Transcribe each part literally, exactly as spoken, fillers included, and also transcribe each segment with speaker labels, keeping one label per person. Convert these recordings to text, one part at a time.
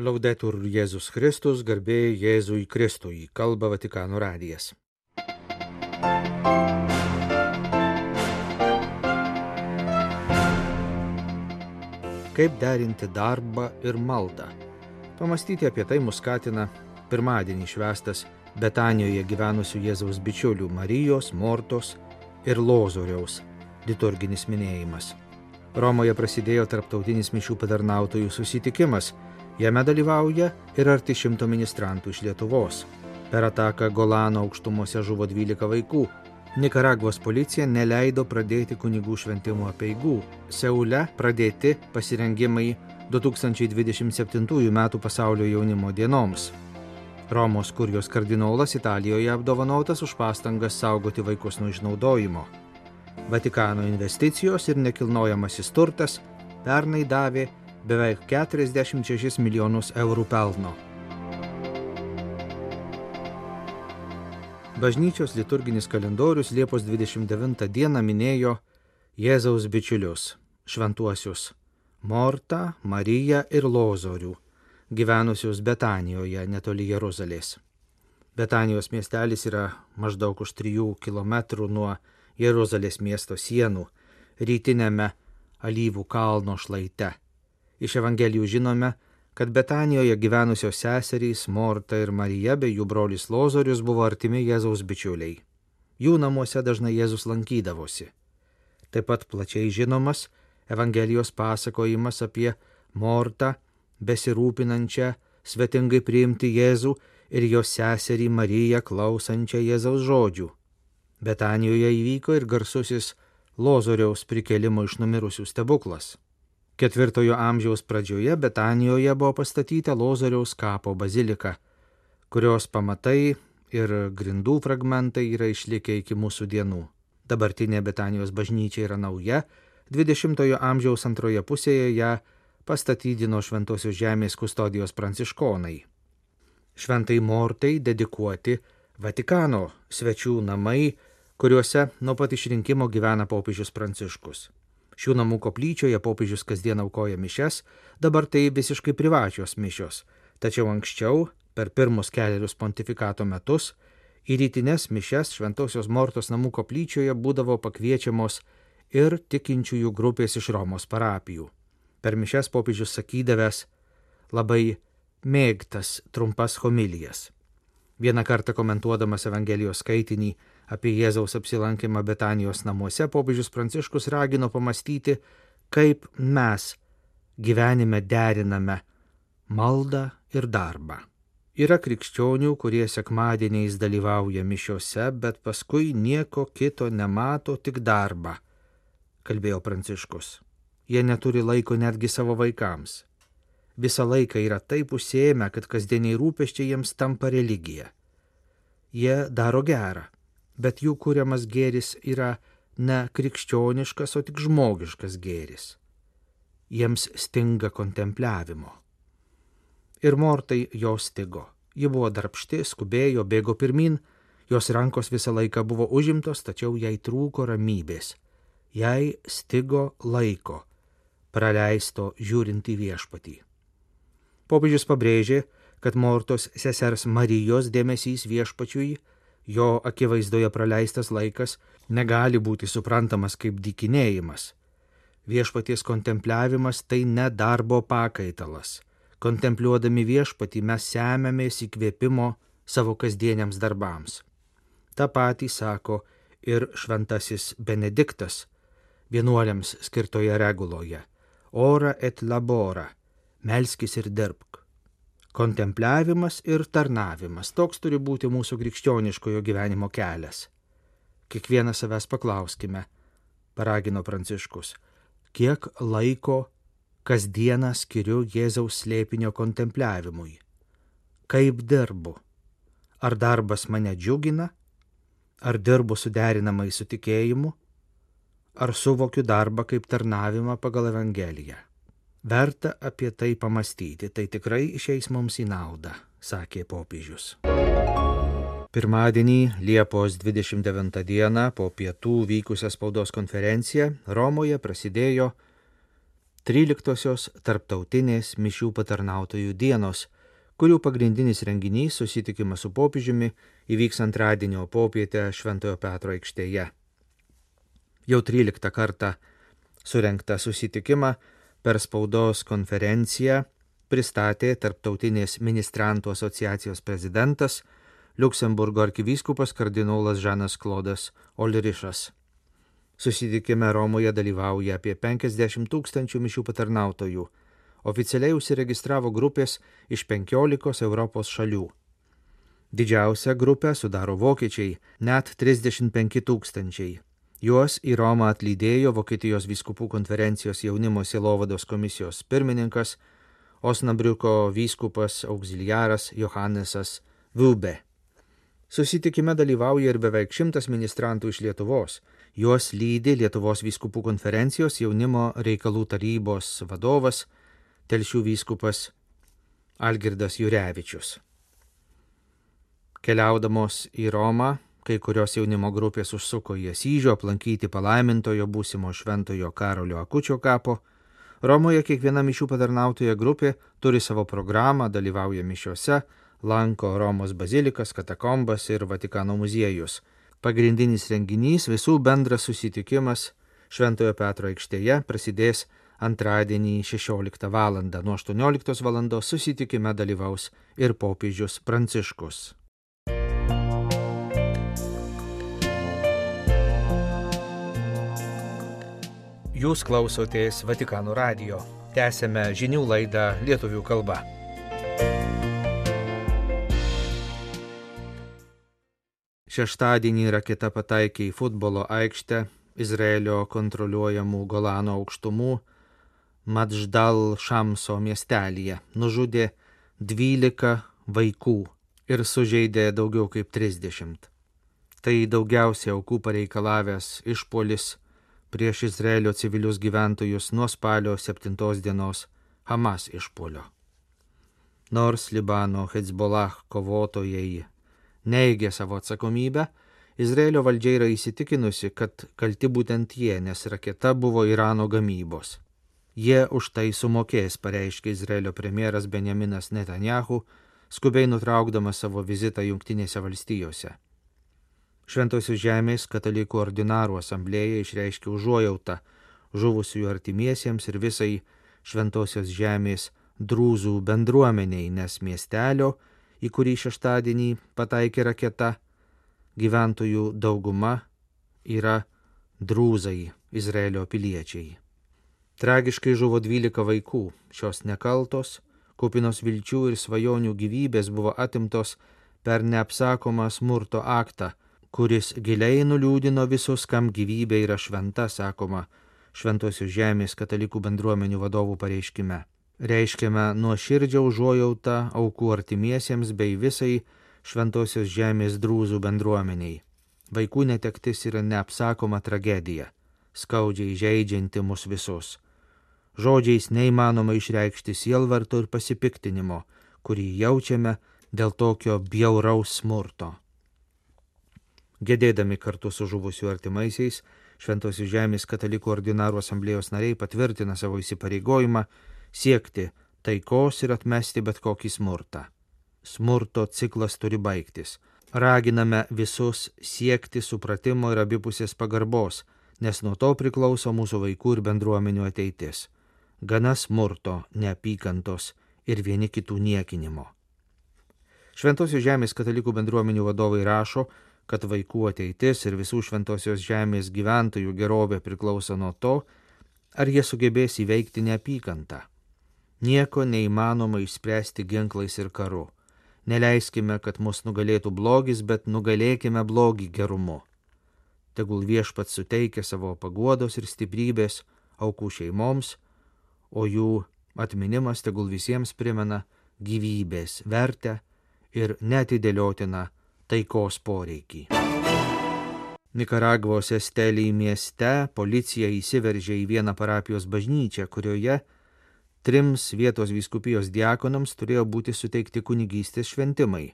Speaker 1: Laudetur Jėzus Kristus, garbė Jėzui Kristui, kalba Vatikano radijas. Kaip derinti darbą ir maldą? Pamastyti apie tai mus skatina pirmadienį švęstas Betanijoje gyvenusių Jėzaus bičiulių Marijos, Mortos ir Lozoriaus liturginis minėjimas. Romoje prasidėjo tarptautinis mišių patarnautojų susitikimas. Jame dalyvauja ir arti šimto ministrantų iš Lietuvos. Per ataką Golano aukštumose žuvo dvylika vaikų. Nikaragvos policija neleido pradėti kunigų šventimo apeigų. Seule pradėti pasirengimai du tūkstančiai dvidešimt septintųjų metų pasaulio jaunimo dienoms. Romos kurijos kardinolas Italijoje apdovanotas už pastangas saugoti vaikus nuo išnaudojimo. Vatikano investicijos ir nekilnojamasis turtas pernai davė beveik keturiasdešimt šešis milijonus eurų pelno. Bažnyčios liturginis kalendorius Liepos dvidešimt devintą dieną minėjo Jėzaus bičiulius, šventuosius Mortą, Mariją ir Lozorių, gyvenusius Betanijoje netoli Jeruzalės. Betanijos miestelis yra maždaug už trijų kilometrų nuo Jeruzalės miesto sienų, rytinėme Alyvų kalno šlaite. Iš Evangelijų žinome, kad Betanijoje gyvenusios seserys Morta ir Marija bei jų brolis Lozorius buvo artimi Jėzaus bičiuliai. Jų namuose dažnai Jėzus lankydavosi. Taip pat plačiai žinomas Evangelijos pasakojimas apie Mortą, besirūpinančią svetingai priimti Jėzų ir jos seserį Mariją klausančią Jėzaus žodžių. Betanijoje įvyko ir garsusis Lozoriaus prikėlimo iš numirusių stebuklas. Ketvirtojo amžiaus pradžioje Betanijoje buvo pastatyta Lozoriaus kapo bazilika, kurios pamatai ir grindų fragmentai yra išlikę iki mūsų dienų. Dabartinė Betanijos bažnyčia yra nauja, dvidešimtojo amžiaus antroje pusėje ją pastatydino Šventosios žemės kustodijos pranciškonai. Šventai Mortai dedikuoti Vatikano svečių namai, kuriuose nuo pat išrinkimo gyvena popiežius Pranciškus. Šių namų koplyčioje popiežius kasdien aukoja mišias, dabar tai visiškai privačios mišios, tačiau anksčiau, per pirmus kelerius pontifikato metus, į rytines mišias Šventosios Mortos namų koplyčioje būdavo pakviečiamos ir tikinčiųjų grupės iš Romos parapijų. Per mišias popiežius sakydavęs labai mėgtas trumpas homilijas. Vieną kartą komentuodamas Evangelijos skaitinį apie Jėzaus apsilankymą Betanijos namuose, popiežius Pranciškus ragino pamastyti, kaip mes gyvenime deriname maldą ir darbą. Yra krikščionių, kurie sekmadieniais dalyvauja mišiose, bet paskui nieko kito nemato, tik darbą, kalbėjo Pranciškus. Jie neturi laiko netgi savo vaikams. Visą laiką yra taip užsiėmę, kad kasdieniai rūpesčiai jiems tampa religija. Jie daro gerą, bet jų kuriamas gėris yra ne krikščioniškas, o tik žmogiškas gėris. Jiems stinga kontempliavimo. Ir Mortai jo stigo. Ji buvo darbšti, skubėjo, bėgo pirmin, jos rankos visą laiką buvo užimtos, tačiau jai trūko ramybės. Jai stigo laiko, praleisto žiūrint į viešpatį. Popiežius pabrėžė, kad Mortos sesers Marijos dėmesys viešpačiui, jo akivaizdoje praleistas laikas, negali būti suprantamas kaip dykinėjimas. Viešpaties kontempliavimas tai ne darbo pakaitalas. Kontempliuodami viešpatį mes semiamės įkvėpimo savo kasdieniams darbams. Ta patį sako ir šventasis Benediktas vienuoliams skirtoje reguloje. Ora et labora. Melskis ir dirbk. Kontempliavimas ir tarnavimas. Toks turi būti mūsų krikščioniškojo gyvenimo kelias. Kiekvieną savęs paklauskime, paragino Pranciškus, kiek laiko kasdieną skiriu Jėzaus slėpinio kontempliavimui. Kaip dirbu? Ar darbas mane džiugina? Ar dirbu suderinamai su tikėjimu? Ar suvokiu darbą kaip tarnavimą pagal Evangeliją? Verta apie tai pamastyti, tai tikrai išeis mums į naudą, sakė popiežius. Pirmadienį, Liepos dvidešimt devintą dieną, po pietų vykusią spaudos konferenciją, Romoje prasidėjo tryliktosios tarptautinės mišių patarnautojų dienos, kurių pagrindinis renginys susitikimas su popiežiumi įvyks antradienio popietę Šventojo Petro aikštėje. Jau tryliktą kartą surengtą susitikimą per spaudos konferenciją pristatė Tarptautinės ministrantų asociacijos prezidentas Liuksemburgo arkivyskupas kardinolas Žanas Klodas Olrišas. Susitikime Romoje dalyvauja apie penkiasdešimt tūkstančių mišių patarnautojų. Oficialiai užsiregistravo grupės iš penkiolikos Europos šalių. Didžiausią grupę sudaro vokiečiai, net trisdešimt penki tūkstančiai. Juos į Romą atlydėjo Vokietijos vyskupų konferencijos jaunimo sielovados komisijos pirmininkas, Osnabriuko vyskupas auxiliaras Johannesas Vilbe. Susitikime dalyvauja ir beveik šimtas ministrantų iš Lietuvos. Juos lydi Lietuvos vyskupų konferencijos jaunimo reikalų tarybos vadovas Telšių vyskupas Algirdas Jurevičius. Keliaudamos į Romą, kai kurios jaunimo grupės užsuko į Asyžių aplankyti palaimintojo būsimo šventojo Karolio Akučio kapo. Romoje kiekviena mišių patarnautoja grupė turi savo programą, dalyvauja mišiose, lanko Romos bazilikas, katakombas ir Vatikano muziejus. Pagrindinis renginys, visų bendras susitikimas Šventojo Petro aikštėje prasidės antradienį šešioliktą valandą. Nuo aštuonioliktos valandos susitikime dalyvaus ir popiežius Pranciškus. Jūs klausotės Vatikano radijo. Tęsėme žinių laidą lietuvių kalba. Šeštadienį raketa pataikė į futbolo aikštę Izraelio kontroliuojamų Golano aukštumų Madždal Šamso miestelyje. Nužudė dvylika vaikų ir sužeidė daugiau kaip trisdešimt. Tai daugiausiai aukų pareikalavęs išpuolis prieš Izraelio civilius gyventojus nuo spalio septintos dienos Hamas išpuolio. Nors Libano Hezbollah kovotojai neigė savo atsakomybę, Izraelio valdžia yra įsitikinusi, kad kalti būtent jie, nes raketa buvo Irano gamybos. Jie už tai sumokės, pareiškė Izraelio premjeras Benjaminas Netanyahu, skubiai nutraukdamas savo vizitą Jungtinėse valstijose. Šventosios žemės katalikų ordinarų asamblėja išreiškė užuojautą žuvusiųjų artimiesiems ir visai Šventosios žemės drūzų bendruomeniai, nes miestelio, į kurį šeštadienį pataikė raketa, gyventojų dauguma yra drūzai, Izraelio piliečiai. Tragiškai žuvo dvylika vaikų. Šios nekaltos, kupinos vilčių ir svajonių gyvybės buvo atimtos per neapsakomą smurto aktą, kuris giliai nuliūdino visus, kam gyvybė yra šventa, sakoma Šventosios žemės katalikų bendruomenių vadovų pareiškime. Reiškiame nuoširdžią užuojautą aukų artimiesiems bei visai Šventosios žemės drūzų bendruomeniai. Vaikų netektis yra neapsakoma tragedija, skaudžiai žeidžianti mus visus. Žodžiais neįmanoma išreikšti sielvarto ir pasipiktinimo, kurį jaučiame dėl tokio bjauraus smurto. Gedėdami kartu su žuvusių artimaisiais, Šventosios žemės katalikų ordinarų asamblėjos nariai patvirtina savo įsipareigojimą siekti taikos ir atmesti bet kokį smurtą. Smurto ciklas turi baigtis. Raginame visus siekti supratimo ir abipusės pagarbos, nes nuo to priklauso mūsų vaikų ir bendruomenių ateitis. Gana smurto, neapykantos ir vieni kitų niekinimo. Šventosios žemės katalikų bendruomenių vadovai rašo, kad vaikų ateitis ir visų Šventosios žemės gyventojų gerovė priklauso nuo to, ar jie sugebės įveikti neapykantą. Nieko neįmanoma išspręsti ginklais ir karu. Neleiskime, kad mus nugalėtų blogis, bet nugalėkime blogį gerumu. Tegul Viešpats suteikia savo paguodos ir stiprybės aukų šeimoms, o jų atminimas tegul visiems primena gyvybės vertę ir neatidėliotiną taikos poreikį. Nikaragvos Estelį mieste policija įsiveržė į vieną parapijos bažnyčią, kurioje trims vietos vyskupijos diakonams turėjo būti suteikti kunigystės šventimai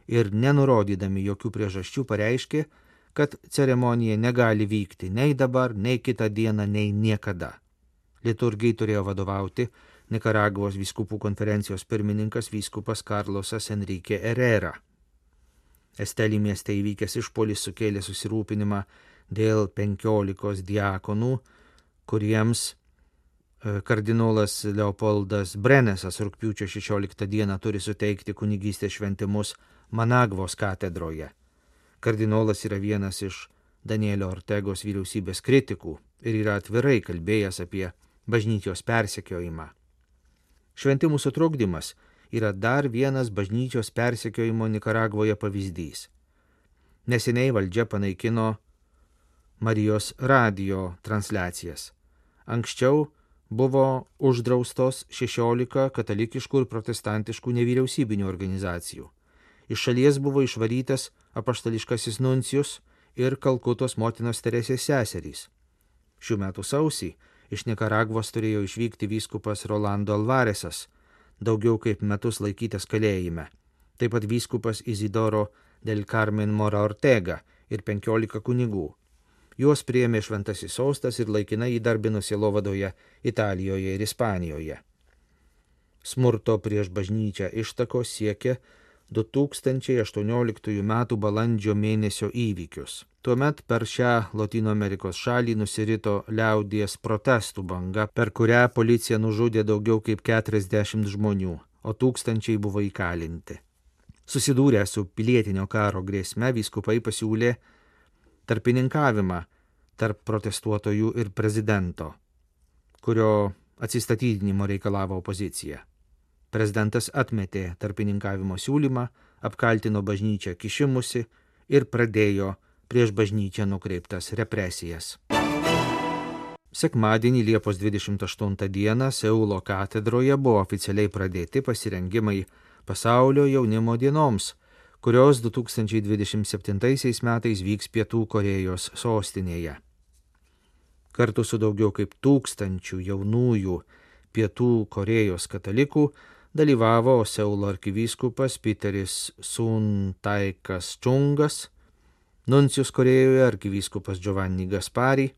Speaker 1: ir nenurodydami jokių priežasčių pareiškė, kad ceremonija negali vykti nei dabar, nei kitą dieną, nei niekada. Liturgijai turėjo vadovauti Nikaragvos vyskupų konferencijos pirmininkas vyskupas Karlosas Enrique Herrera. Estelį mieste įvykęs išpuolis sukėlė susirūpinimą dėl penkiolikos diakonų, kuriems kardinolas Leopoldas Brenesas rugpjūčio šešioliktą dieną turi suteikti kunigystės šventimus Managvos katedroje. Kardinolas yra vienas iš Danielio Ortegos vyriausybės kritikų ir yra atvirai kalbėjęs apie bažnyčios persekiojimą. Šventimų sutrukdymas yra dar vienas bažnyčios persekiojimo Nikaragvoje pavyzdys. Neseniai valdžia panaikino Marijos radijo transliacijas. Anksčiau buvo uždraustos šešiolika katalikiškų ir protestantiškų nevyriausybinių organizacijų. Iš šalies buvo išvarytas apaštališkasis nuncijus ir Kalkutos motinos Teresės seserys. Šių metų sausį iš Nikaragvos turėjo išvykti vyskupas Rolando Alvaresas, daugiau kaip metus laikytas kalėjime. Taip pat vyskupas Isidoro del Carmen Mora Ortega ir penkiolika kunigų. Juos priėmė Šventasis sostas ir laikinai įdarbino sielovadoje Italijoje ir Ispanijoje. Smurto prieš bažnyčią ištakos siekia du tūkstančiai aštuonioliktųjų metų balandžio mėnesio įvykius. Tuomet per šią Lotynų Amerikos šalį nusirito liaudies protestų banga, per kurią policija nužudė daugiau kaip keturiasdešimt žmonių, o tūkstančiai buvo įkalinti. Susidūrę su pilietinio karo grėsme, vyskupai pasiūlė tarpininkavimą tarp protestuotojų ir prezidento, kurio atsistatydinimo reikalavo opozicija. Prezidentas atmetė tarpininkavimo siūlymą, apkaltino bažnyčią kišimusi ir pradėjo prieš bažnyčią nukreiptas represijas. Sekmadienį Liepos dvidešimt aštuntą dieną Seulo katedroje buvo oficialiai pradėti pasirengimai pasaulio jaunimo dienoms, kurios du tūkstančiai dvidešimt septintaisiais metais vyks Pietų Korėjos sostinėje. Kartu su daugiau kaip tūkstančių jaunųjų Pietų Korėjos katalikų dalyvavo Seulo arkivyskupas Piteris Suntaikas Čungas, nuncijus Korėjoje arkivyskupas Giovanni Gaspari,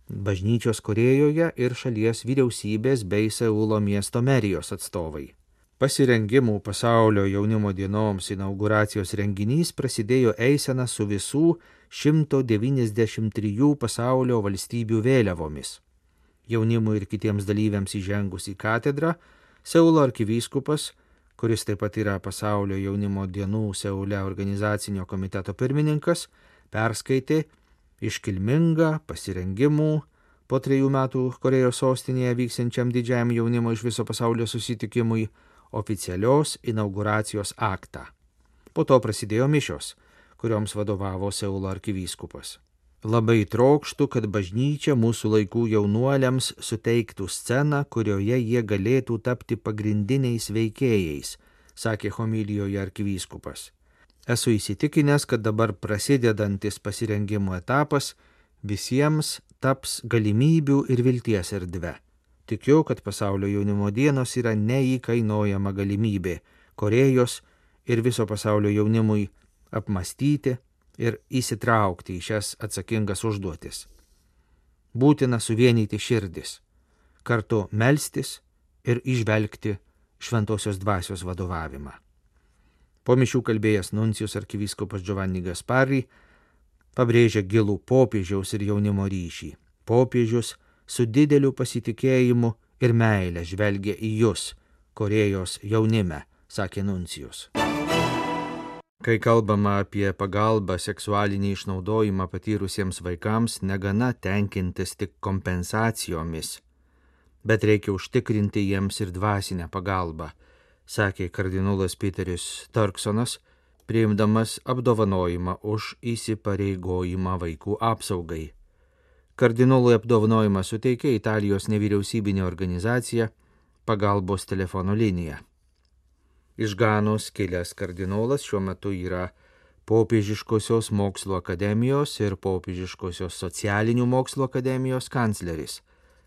Speaker 1: bažnyčios Korėjoje ir šalies vyriausybės bei Seulo miesto merijos atstovai. Pasirengimų pasaulio jaunimo dienoms inauguracijos renginys prasidėjo eisena su visų šimto devyniasdešimt trijų pasaulio valstybių vėliavomis. Jaunimui ir kitiems dalyviams įžengus į katedrą, Seulo arkivyskupas, kuris taip pat yra pasaulio jaunimo dienų Seule organizacinio komiteto pirmininkas, perskaitė iškilmingą pasirengimų po trejų metų Korėjos sostinėje vyksiančiam didžiajam jaunimo iš viso pasaulio susitikimui oficialios inauguracijos aktą. Po to prasidėjo mišios, kurioms vadovavo Seulo arkivyskupas. Labai trokštu, kad bažnyčia mūsų laikų jaunuoliams suteiktų sceną, kurioje jie galėtų tapti pagrindiniais veikėjais, sakė homilijoje arkivyskupas. Esu įsitikinęs, kad dabar prasidedantis pasirengimo etapas visiems taps galimybių ir vilties erdve. Tikiu, kad pasaulio jaunimo dienos yra neįkainojama galimybė Korėjos ir viso pasaulio jaunimui apmastyti ir įsitraukti į šias atsakingas užduotis. Būtina suvienyti širdis, kartu melstis ir įžvelgti šventosios dvasios vadovavimą. Po mišių kalbėjęs nuncijus arkivyskupas Giovanni Gaspari pabrėžė gilų popiežiaus ir jaunimo ryšį. Popiežius su dideliu pasitikėjimu ir meile žvelgia į jūs, Korėjos jaunime, sakė nuncijus. Kai kalbama apie pagalbą seksualinį išnaudojimą patyrusiems vaikams, negana tenkintis tik kompensacijomis, bet reikia užtikrinti jiems ir dvasinę pagalbą, sakė kardinolas Piteris Turksonas, priimdamas apdovanojimą už įsipareigojimą vaikų apsaugai. Kardinolui apdovanojimą suteikė Italijos nevyriausybinė organizacija Pagalbos telefono linija. Iš Ganos kilęs kardinolas šiuo metu yra Popiežiškosios mokslo akademijos ir Popiežiškosios socialinių mokslo akademijos kancleris.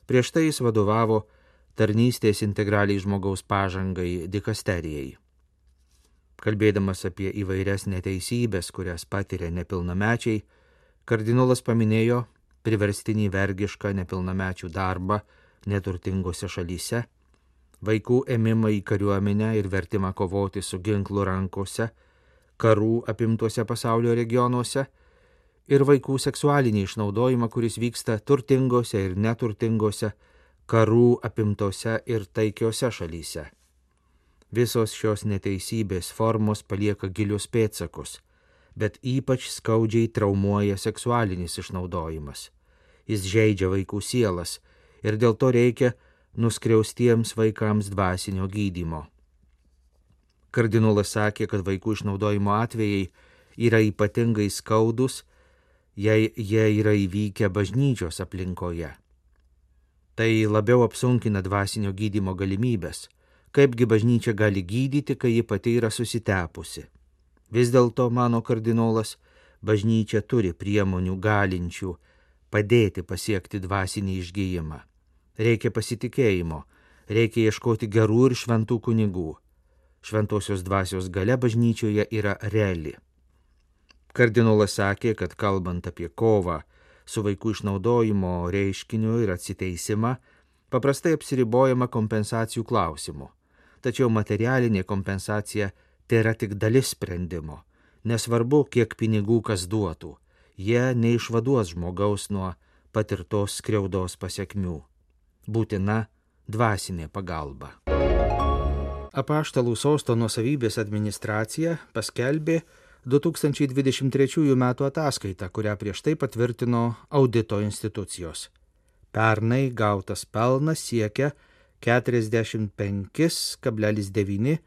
Speaker 1: Prieš tai jis vadovavo tarnystės integraliai žmogaus pažangai dikasterijai. Kalbėdamas apie įvairias neteisybės, kurias patiria nepilnamečiai, kardinolas paminėjo priverstinį vergišką nepilnamečių darbą neturtingose šalyse, vaikų ėmimą į kariuomenę ir vertimą kovoti su ginklu rankose, karų apimtuose pasaulio regionuose ir vaikų seksualinį išnaudojimą, kuris vyksta turtingose ir neturtingose, karų apimtose ir taikiose šalyse. Visos šios neteisybės formos palieka gilius pėdsakus, bet ypač skaudžiai traumuoja seksualinis išnaudojimas. Jis žeidžia vaikų sielas ir dėl to reikia nuskriaustiems vaikams dvasinio gydymo. Kardinolas sakė, kad vaikų išnaudojimo atvejai yra ypatingai skaudus, jei jie yra įvykę bažnyčios aplinkoje. Tai labiau apsunkina dvasinio gydymo galimybės. Kaipgi bažnyčia gali gydyti, kai ji pati yra susitepusi? Vis dėlto, mano kardinolas, bažnyčia turi priemonių galinčių padėti pasiekti dvasinį išgijimą. Reikia pasitikėjimo, reikia ieškoti gerų ir šventų kunigų. Šventosios dvasios galia bažnyčioje yra reali. Kardinolas sakė, kad kalbant apie kovą su vaikų išnaudojimo reiškiniu ir atsiteisimą, paprastai apsiribojama kompensacijų klausimu. Tačiau materialinė kompensacija tėra tik dalis sprendimo. Nesvarbu, kiek pinigų kas duotų, jie neišvaduos žmogaus nuo patirtos skriaudos pasekmių. Būtina dvasinė pagalba. Apaštalų sosto nuosavybės administracija paskelbė du tūkstančiai dvidešimt trečiųjų metų ataskaitą, kurią prieš tai patvirtino audito institucijos. Pernai gautas pelnas siekia keturiasdešimt penki kablelis devyni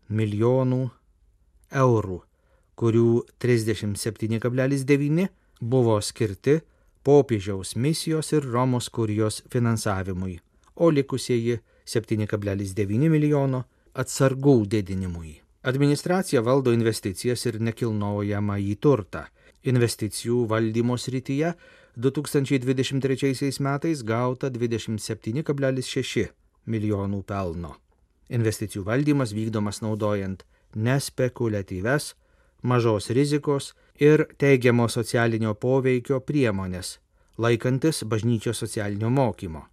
Speaker 1: milijonų eurų, kurių trisdešimt septyni kablelis devyni buvo skirti popiežiaus misijos ir Romos kurijos finansavimui, o likusieji septyni kablelis devyni milijono atsargų didinimui. Administracija valdo investicijas ir nekilnojamąjį turtą. Investicijų valdymo srityje du tūkstančiai dvidešimt trečiaisiais metais gauta dvidešimt septyni kablelis šeši milijonų pelno. Investicijų valdymas vykdomas naudojant nespekuliatyves, mažos rizikos ir teigiamo socialinio poveikio priemonės, laikantis bažnyčios socialinio mokymo.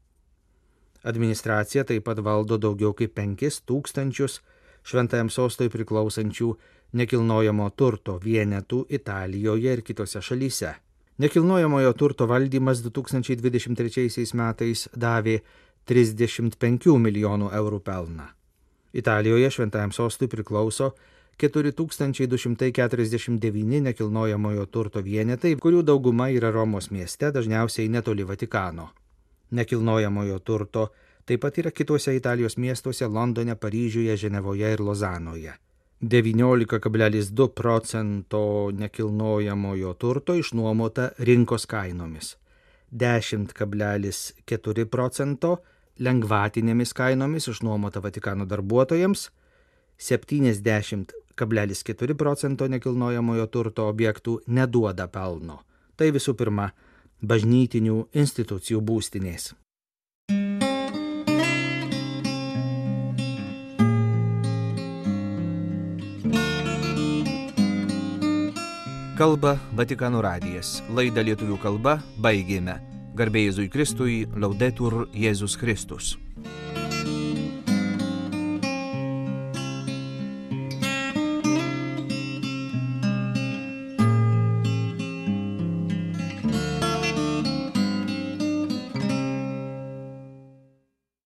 Speaker 1: Administracija taip pat valdo daugiau kaip penkis tūkstančius šventajam sostui priklausančių nekilnojamo turto vienetų Italijoje ir kitose šalyse. Nekilnojamojo turto valdymas du tūkstančiai dvidešimt trečiaisiais metais davė trisdešimt penkių milijonų eurų pelną. Italijoje šventajam sostui priklauso keturi tūkstančiai du šimtai keturiasdešimt devyni nekilnojamojo turto vienetai, kurių dauguma yra Romos mieste, dažniausiai netoli Vatikano. Nekilnojamojo turto taip pat yra kituose Italijos miestuose Londone, Paryžiuje, Ženevoje ir Lozanoje. devyniolika kablelis du procento nekilnojamojo turto išnuomota rinkos kainomis, dešimt kablelis keturi procento lengvatinėmis kainomis išnuomota Vatikano darbuotojams, septyniasdešimt kablelis keturi procento nekilnojamojo turto objektų neduoda pelno. Tai visų pirma, bažnytinių institucijų būstinės. Kalba Vatikano radijas. Laidą lietuvių kalba baigėme. Garbė Jėzui Kristui, Laudetur Jėzus Kristus.